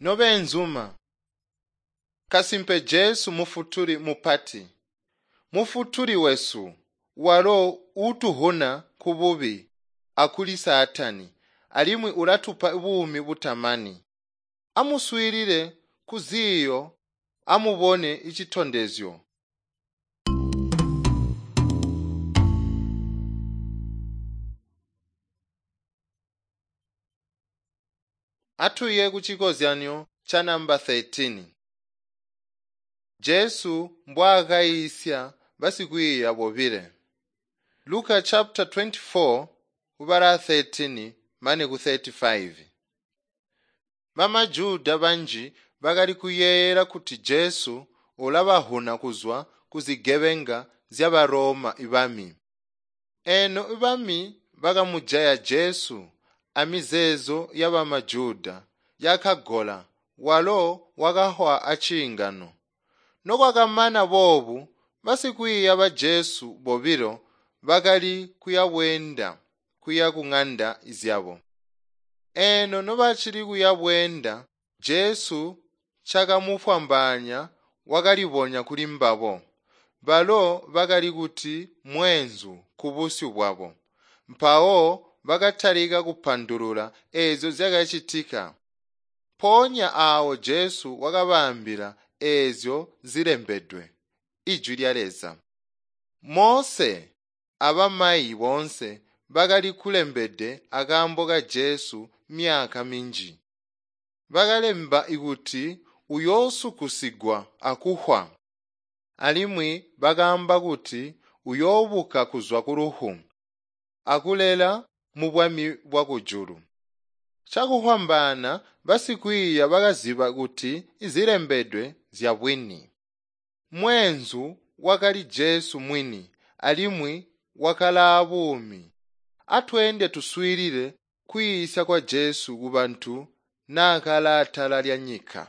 Nobeenzuma, kasimpe Jesu Mufutuli mupati, Mufutuli wesu, walo uutuhuna kububi akuli Saatani, alimwi ulatupa buumi butamani. Amuswiilile kuziiyo, amubone icitondezyo. Atuye ku cikozyanyo ca namba 13. Jesu mbwaakayiisya basikwiiya bobile. Luka chapter 24 kubala 13 mane ku 35. BamaJuda banji bakali kuyeeyela kuti Jesu ulabahuna kuzwa kuzigebenga zya baRoma ibami. Eno ibami bakamujaya Jesu amizeezo ya bamaJuda yakagola walo wakahwa aciingano. Nokwakamana boobu basikwiiya ba Jesu bobilo bakali kuyabweenda kuya ku ng'anda zyabo. Eno nobacili kuyabweenda Jesu cakamufwambaanya wakalibonya kuli mbabo. Balo bakali kuti mweenzu kubusyu bwabo. Mpawo bakatalika kupandulula eezyo zyakacitika. Mpoonya aawo Jesu wakabaambila eezyo zilembedwe, Ijwi lya Leza. Mose abamayi boonse bakali kulembede akaambo ka Jesu myaka minji. Bakalemba kuti uyoosukusigwa akuhwa, alimwi bakaamba kuti uyoobuka kuzwa kulufu akulela mu bwami bwa kujulu. Cakufwambaana basikwiiya bakaziba kuti izilembedwe zyabwini. Mweenzu wakali Jesu mwini alimwi wakalaa buumi. Atweende tuswiilile kwiisya kwa Jesu kubantu naakali atala lya nyika.